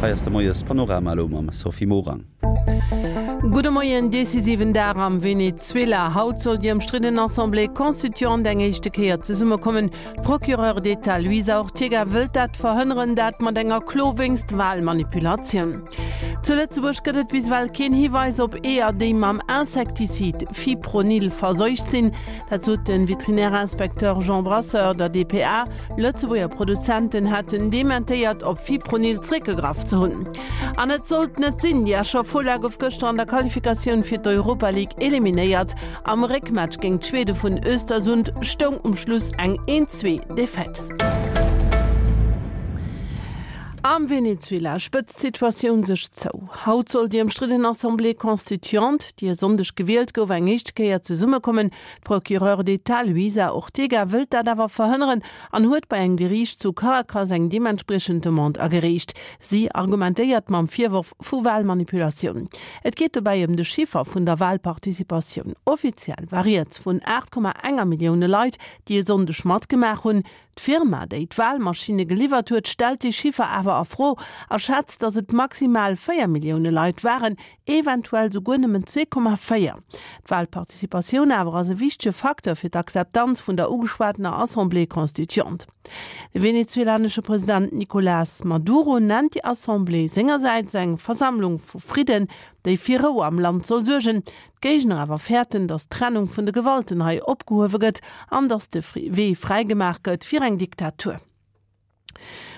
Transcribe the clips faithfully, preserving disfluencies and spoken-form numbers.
Hei ass de Moies-Panorama elo mam Sophie Morang. Gudde Moien, Decisiven Dag am Venezuela. Haut soll déi ëmstridden Assemblée constituante eng éischte Kéier zesummekommen. D'Procureure d'État Luisa Ortega wëllt dat verhënneren, dat mat enger Klo wéinst Walmanipulatioun. Zu Lëtzebuerg gëtt et bis ewell keen Hiweis op Eeër, déi mam Insektizid Fipronil verseucht sinn. Dat sot de Veterinärinspekteur Jean Brasseur der dpa. Lëtzebuerger Produzenten hätten dementéiert, op Fipronil zréckgegraff ze hunn. An et sollt net sinn, Déi Escher Fola gouf gëschter an der Qualifikatioun fir d'Europa League eliminéiert. Am Réckmatch géint d'Schwede vun Östersund stoung um Schluss eng een-zwee Defaite. Am Venezuela spëtzt d'Situatioun sech zou. Haut soll déi ëmstridden Assemblée constituante, déi e Sonndeg gewielt gouf, eng éischt Kéier zesummekommen. D'Procureure d'État Luisa Ortega wëllt dat awer verhënneren an huet bei engem Geriicht zu Caracas eng deementspriechend Demande agereecht. Si argumentéiert mam Virworf vu Walmanipulatioun. Et geet dobäi ëm de Chiffer vun der Walparticipatioun. Offiziell war rieds vun aacht Komma enger Millioune Leit, déi e Sonndeg matgemaach hunn. D'Firma, déi d'Walmaschinne geliwwert huet, stellt dee Chiffer awer a Fro a schätzt, datt et maximal véier Millioune Leit waren, eventuell souguer nëmmen zwee Komma véier. D'Walparticipatioun awer ass e wichtege Facteur fir d'Akzeptanz vun der ugeschwatener Assemblée constituante. De venezuelanesche President Nicolás Maduro nennt déi Assemblée sengersäits eng Versammlung vu Fridden, déi fir Rou am Land soll suergen. D'Géigner awer fäerten, datt d'Trennung vun de Gewalten hei opgehuewe gëtt an datt de Wee fräigemaach gëtt fir eng Diktatur.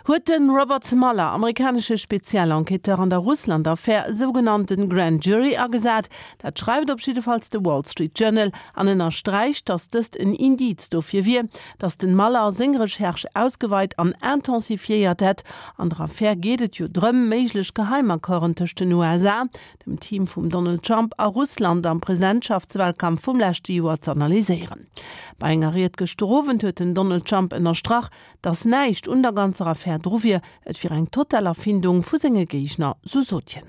Huet de Robert Mueller, amerikanesche Spezialenquêteur an der Russland-Affär, e sougenannte Grand Jury agesat? Dat schreift op jiddefalls de Wall Street Journal an ënnersträicht, datt dëst en Indiz dofir wier, datt den Mueller seng Recherche ausgeweit an intensifiéiert hätt. An der Affär geet et jo drëm, méiglech Geheimaccorden tëscht den U S A, dem Team vum Donald Trump a Russland am Presidentschaftswalkampf vum leschte Joer z'analyséieren. Bei enger Ried gëschter Owend huet den Donald Trump ënnerstrach, datt näischt un der ganzer Affär dru wier, et wier eng total Erfindung vu senge Géigner, sou sot hien.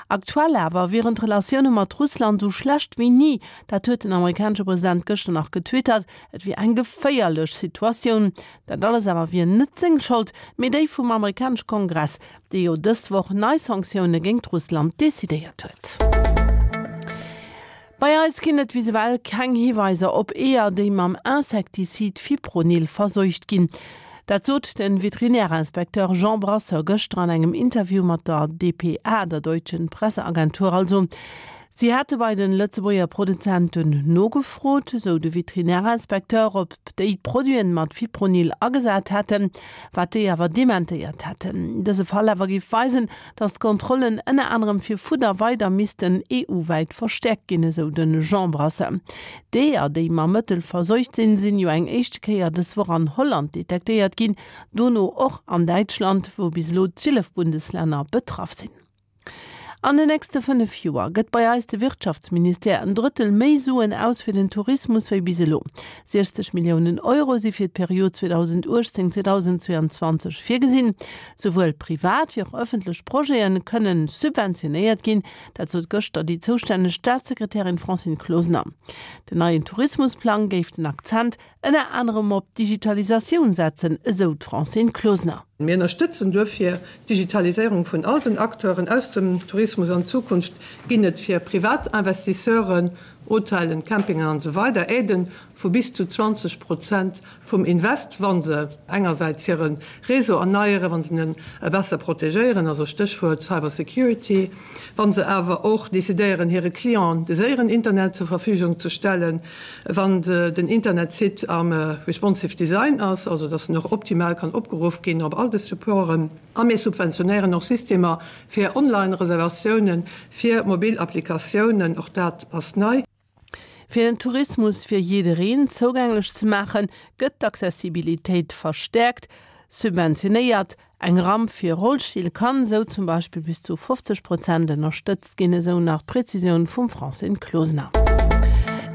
Aktuell awer wieren d'Relatioune mat Russland sou schlecht wéi ni, dat huet den amerikanesche President gëschter nach getwittert. Et wier eng geféierlech Situatioun. Dat alles awer wier net seng Schold, mee déi vum amerikanesche Kongress, dee jo dës Woch nei Sanktioune géingt Russland decidéiert huet. Bei eis ginn et bis ewell keng Hiweiser op Eeër, déi mam Insektizid Fipronil verseucht ginn. Dat sot de Veterinärinspekteur Jean Brasseur gëschter an engem Interview mat der D P A, der Deutschen Presseagentur also. Si hätte bei den Lëtzebuerger Produzenten nogefrot, sou de Veterinärinspekteur, ob déi Produiten mat Fipronil agesat hätten, wat déi awer dementéiert hätten. Dëse Fall awer géif weisen, datt d'Kontrollen ënner anerem fir Fudder weider missten E U-wäit verstäerkt ginn, esou de Jean Brasseur. D'Eeër, déi mam Mëttel verseucht sinn, sinn jo eng éischte Kéier dës Woch an Holland detektéiert ginn, dono och an Däitschland, wou bis elo zwielef Bundeslänner betraff sinn. An den nächste fënnef Joer gëtt bei eis de Wirtschaftsministère en Drëttel méi Suen aus fir den Tourismus wéi bis elo. siechzeg Milliounen Euro si fir d'Period zweedausenduechtzéng zweedausendzweiandzwanzeg virgesinn. Souwuel privat wéi och ëffentlech Projete kënnen subventionéiert ginn. Dat sot gëschter déi zoustänneg Staatssekretärin Francine Closener. Den neien Tourismusplang géif den Akzent ënner anerem op d'Digitalisatioun setzen, esou d'Francine Closener. Mir ënnerstëtzen duerfir d'Digitaliséierung vun all den Acteuren aus dem Tourismus an Zukunft ginn et fir Privatinvestisseuren, Hotellen, Campingen an esou weider Aiden vu bis zu zwanzeg Prozent vum Invest, wa se engersäits hire Réseau erneieren, wa se en besser protegéieren, also Stéchwuert Cybersecurity, wa se awer och decidéieren, hire Clienten de séieren Internet zur Verfügung ze stellen, wann den Internetsite am responsive Design ass, also dass en och optimal kann opgeruff ginn op all de Supporten. A mir subventionéieren och Systemer fir Online-Reservatiounen, fir mobil Applikatiounen, och dat ass nei. Fir den Tourismus fir jiddereen zougänglech ze maachen, gëtt d'Accessibilitéit verstäerkt, subventionéiert. Eng Ramp fir Rollstill kann esou zum Beispill bis zu fofzeg Prozent ënnerstëtzt ginn, esou nach d'Prezisioun vum Francine Closener.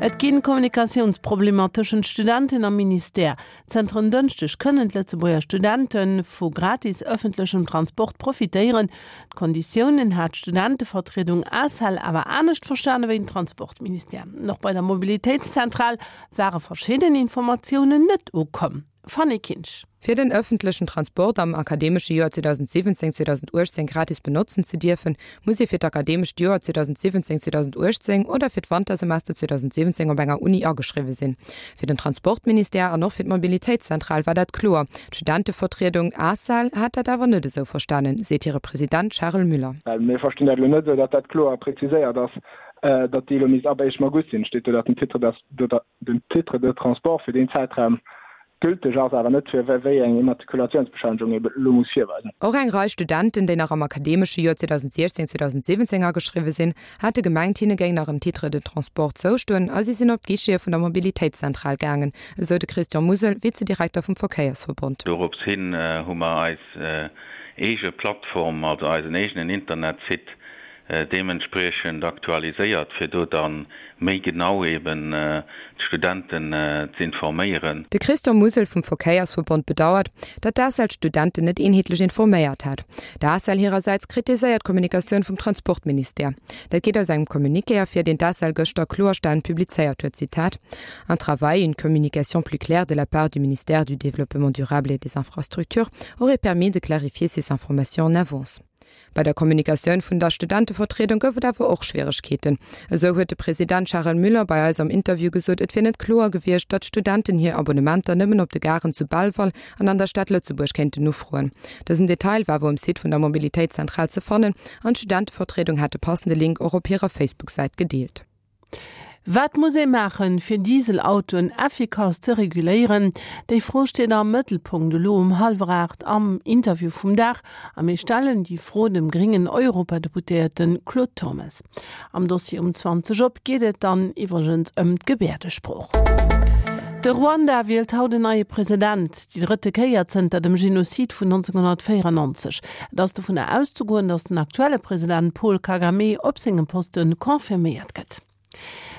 Et ginn Kommunikatiounsproblemer tëschent Studenten am Ministère. Zënter en Dënschdeg kënnen d'Lëtzebuerger Studente vu gratis ëffentlechem Transport profitéieren. D'Konditiounen hat d'Studentevertriedung A S E L awer anescht verstane wéi den Transportministère. Noch bei der Mobilitéitszentral ware verschidden Informatiounen net ukomm. Fanny Kinsch. Fir den ëffentlechen Transport am akademesche Joer zweedausendsiwwenzéng zweedausendauechtzéng gratis benotzen ze dierfen, muss ee fir d'akademescht Joer zweedausendsiwwenzéng zweedausendauechtzéng oder fir d'Wantersemester zweedausendsiwwenzéng op enger Uni ageschriwwe sinn. Fir den Transportministère an och fir d'Mobilitéitszentral war dat kloer. D'Studentevertriedung ACEL hat dat awer net esou verstanen, seet hire President Charel Müller. Well mir verstinn dat elo net esou, datt dat kloer präziséiert ass, datt déi elo misst ab éischtem August sinn. Steet do, datt den Titre den Titre de transport fir deen Zäitraum gülteg ass, awer net fir wéi eng Immatrikulatiounsbescheinegung ee elo muss virweisen. Och eng Rei Studenten, déi nach am akademesche Joer zweedausendsiechzéng zweedausendsiwwenzéng ageschriwwe sinn, hate gemengt, hinne géing nach en Titre de transport zoustoen a si sinn op d'Guichete vun der Mobilitéitszentral gaangen, esou de Christian Musel, Vizedirekter vum Verkéiersverbond. Dorops hin hu mer eis eege Plattform, also eisen eegenen Internetsite, deementspriechend aktualiséiert, fir do da méi genau eben d'Studenten z'informéieren. De Christian Musel vum Verkéiersverbond bedauert, datt d'ACEL d'Studenten net eenheetlech informéiert hätt. D'ACEL hirersäits kritiséiert d'Kommunikatioun vum Transportministère. Dat geet aus engem Communiqué ervir, deen d'ACEL gëschter kloerstellend publizéiert huet, Zitat, Un travail, une communication plus claire de la part du ministère du Développement durable et des Infrastructures aurait permis de clarifier ces informations en avance. Bei der Kommunikatioun vun der Studentevertriedung gouf et awer och Schwieregkeeten. Esou huet de President Charel Müller bei eis am Interview gesot, et wier net kloer gewiescht, datt d'Studenten hir Abonnementer nëmmen op de Garen zu Belval an an der Stad Lëtzebuerg kéinten ufroen. Dësen Detail war awer um Site vun der Mobilitéitszentral ze fannen an d'Studentevertriedung hat de passende Link och op hirer Facebook-Säit gedeelt. Wat muss ee maachen, fir Dieselautoen effikass ze reguléieren? Déi Fro steet am Mëttelpunkt elo um hallwer aacht am Interview vum Dag a mir stellen déi Fro dem gréngen Europadeputéierte Claude Turmes. Am Dossier um zwanzeg op geet et dann iwwregens ëm d'Gebäerdesprooch. De Ruanda wielt haut en neie President, déi drëtte Kéier zënter dem Genozid vun nonzénghonnertvéierennonzeg. Et ass dovunner auszegoen, datt den aktuelle President Paul Kagame op sengem Poste confirméiert gëtt.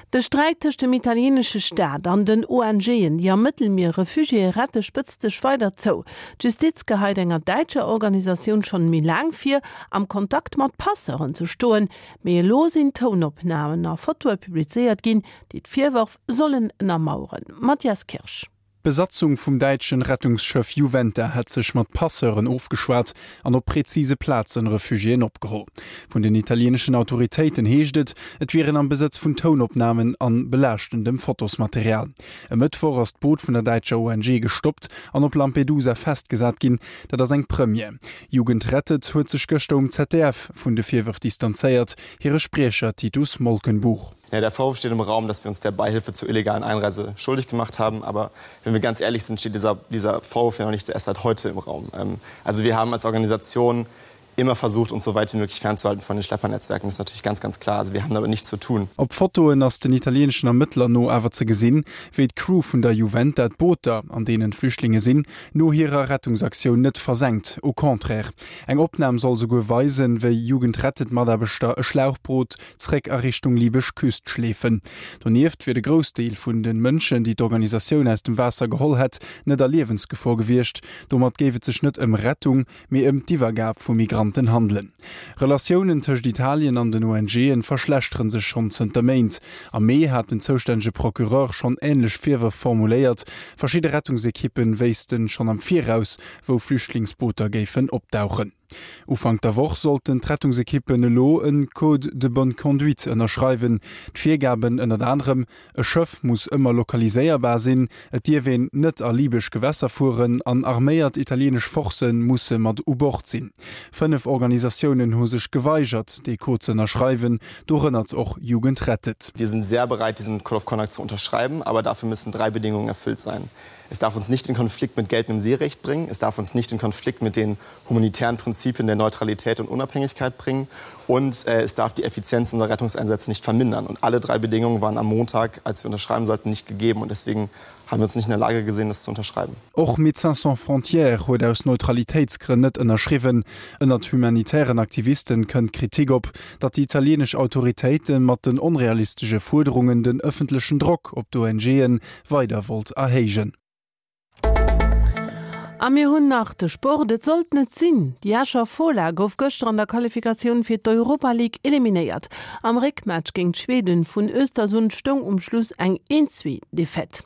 De Sträit tëscht dem italieenesche Staat an den ONGen, déi am Mëttelmier Refugiéë rette, spëtzt sech weider zou. D'Justiz geheit enger däitscher Organisatioun schonn méi laang vir, am Kontakt mat Passeuren ze stoen. Mee elo sinn Tounopnamen a Fotoe publizéiert ginn, déi d'Virwërf sollen ënnermaueren. Mathias Kirsch. D'Besatzung vum däitschen Rettungsschëff Juventa hätt sech mat Passeuren ofgeschwat an op prezise Plazen Refugiéen opgeholl. Vun den italieeneschen Autoritéiten heescht et, et wier een am Besëtz vun Tounopnamen an belaaschtendem Fotosmaterial. E Mëttwoch ass d'Boot vun der däitscher O N G gestoppt an op Lampedusa festgesat ginn. Dat ass eng Première. Jugend rettet huet sech gëschter um Z D F vun de Virwërf distanzéiert, hire Spriecher Titus Molkenbuch. Ja, der Vorwurf steht im Raum, dass wir uns der Beihilfe zur illegalen Einreise schuldig gemacht haben. Aber wenn wir ganz ehrlich sind, steht dieser, dieser Vorwurf ja noch nicht erst seit heute im Raum. Ähm, also wir haben als Organisation immer versucht, uns so weit wie möglich fernzuhalten von den Schleppernetzwerken. Das ist natürlich ganz, ganz klar. Also wir haben damit nichts zu tun. Op Fotoen ass den italieeneschen Ermëttler no awer ze gesinn, wéi d'Crew vun der Juventa d'Booter, an deenen d'Flüchtlinge sinn, no hirer Rettungsaktioun net versenkt, au contraire. Eng Opnam soll souguer weisen, wéi Jugend rettet-Mataarbechter e Schlauchboot zréck a Richtung libesch Küst schleefen. Donieft wier de Groussdeel vun de Mënschen, déi d'Organisatioun aus dem Waasser geholl hätt, net a Liewensgefor gewiescht. Domat géif et sech net ëm Rettung, mee ëm d'Iwwergab vu Migranten handelen. Relatiounen tëscht Italien an den O N G'en verschlechtere sech schonn zënter Méint. Am Mee hat den zoustännege Procureur schonn änlech Virwërf formuléiert. Verschidde Rettungsekippen wéissten schonn am Viraus, wou Flüchtlingsbooter géifen opdauchen. Ufank der Woch sollten d'Rettungsekippen elo e Code de bonne conduite ënnerschreiwen. D'Virgaben ënnert anerem, E Schëff muss ëmmer lokaliséierbar sinn, et dierf een net a libesch Gewässer fueren an arméiert italieenesch Forcë musse mat u Bord sinn. Fënnef Organisatiounen hu sech geweigert, dee Code ze ënnerschreiwen, dorënner och Jugend rettet. Wir sind sehr bereit, diesen Code of Conduct zu unterschreiben, aber dafür müssen drei Bedingungen erfüllt sein. Es darf uns nicht in Konflikt mit geltendem Seerecht bringen, es darf uns nicht in Konflikt mit den humanitären Prinzipien der Neutralität und Unabhängigkeit bringen und äh, es darf die Effizienz unserer Rettungseinsätze nicht vermindern. Und alle drei Bedingungen waren am Montag, als wir unterschreiben sollten, nicht gegeben und deswegen haben wir uns nicht in der Lage gesehen, das zu unterschreiben. Och Médecins sans frontières huet aus Neutralitéitsgrënn net ënnerschriwwen. Ënnert humanitären Aktivisten kënnt Kritik op, datt déi italieenesch Autoritéite mat den onrealistesche Fuerderungen den ëffentlechen Drock op d'O N G'en weider wollt erhéijen. A mir hunn nach de Sport, et sollt net sinn. Déi Escher Fola gouf gëschter an der Qualifikatioun fir d'Europa League eliminéiert. Am Réckmatch géint d'Schweden vun Östersund stoung um Schluss eng eent zwee Defaite.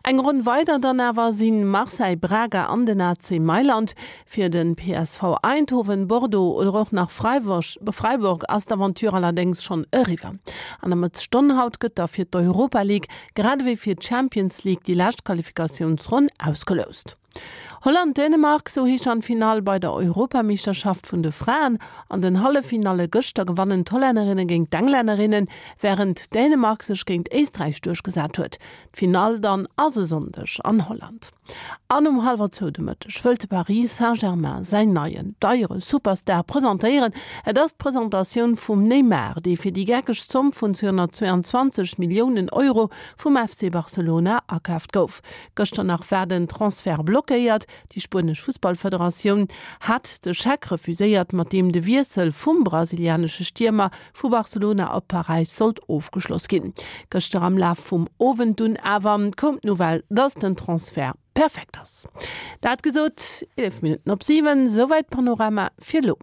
Eng Ronn weider dann awer si Marseille, Braga an den A C Mailand. Fir de P S V Eindhoven, Bordeaux oder och nach Freiburg ass d'Aventure allerdéngs schonn eriwwer. An der Mëttesstonn haut gëtt da fir d'Europa League grad ewéi fir d'Champions League déi lescht Qualifikatiounsronn ausgeloust. Holland-Dänemark, sou heescht dann d'Finall bei der Europameeschterschaft vun de Fraen. An den Halleffinalle gëschter gewannen d'Hollännerinne géint d'Englännerinnen, wärend Dänemark sech géint Éisträich duerchgesat huet. D'Finall dann ass e Sonndeg an Holland. An um hallwer zwou de Mëtteg wëllt de Paris Saint-Germain säin neien, deiere Superstar presentéieren. Et ass d'Presentatioun vum Neymar, dee fir déi geckeg Zomm vun zweehonnertzweianzwanzeg Milliounen Euro vum F C Barcelona akaaft gouf. Gëschter nach war den Transfert blockéiert. Déi spuenesch Fussballfederatioun hat de Scheck refuséiert, mat deem de Wiessel vum brasilianesche Stiermer vu Barcelona op Paräis sollt ofgeschloss ginn. Gëschter am Laf vum Owend dunn awer koum d'Nouvelle, dass den Transfert perfekt ass. Dat gesot, eelef Minutten op siwen, souwäit Panorama fir elo.